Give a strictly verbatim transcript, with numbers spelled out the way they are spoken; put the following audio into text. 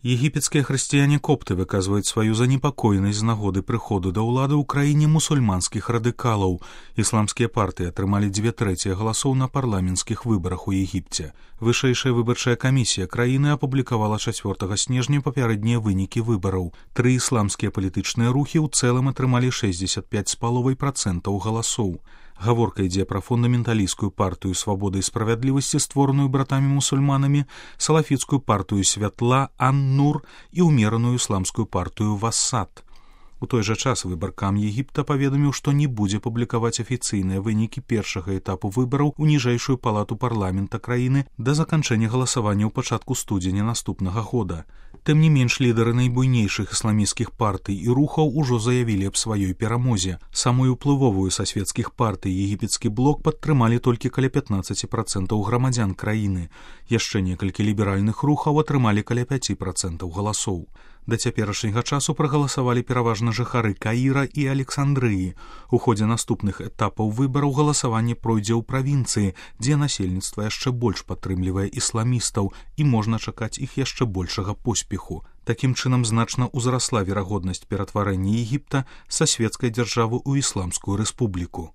Егіпецкія хрысціяне-копты выказваюць сваю занепакоенасць з нагоды прыходу да ўлады ў краіне мусульманскіх радыкалаў. Ісламскія партыі атрымалі дзве трэція галасоў на парламенцкіх выбарах у Егіпце. Вышэйшая выбарчая камісія краіны апублікавала чацвёртага снежня папярэднія вынікі выбараў. Тры ісламскія палітычныя рухі ў цэлым атрымалі шэсцьдзесят пяць з паловай працэнтаў галасоў. Гаворка ідзе пра фундаменталісцкую партыю свабоды і справядлівасці, створаную братамі-мусульманамі, салафіцкую партыю святла Ан-Нур і ўмераную ісламскую партыю Васат. У той жа час выбаркам Егіпта паведаміў, што не будзе публікаваць афіцыйныя вынікі першага этапу выбараў у ніжэйшую палату парламента краіны да заканчэння галасавання ў пачатку студзеня наступнага года. Тым не менш, лідары найбуйнейшых ісламісцкіх партый і рухаў ужо заявілі аб сваёй перамозе. Самую ўплывовую са светскіх партый егіпецкі блок падтрымалі толькі каля пятнаццаць працэнтаў грамадзян краіны. Яшчэ некалькі ліберальных рухаў атрымалі каля пяць працэнтаў галасоў. Да цяперашняга часу прагаласавалі пераважна жыхары Каіра і Александрыі. У ходзе наступных этапаў выбараў галасаванне пройдзе ў правінцыі, дзе насельніцтва яшчэ больш падтрымлівае ісламістаў і можна чакаць іх яшчэ большага поспеху. Такім чынам значна ўзрасла верагоднасць ператварэння Егіпта са светскай дзяржавы ў ісламскую рэспубліку.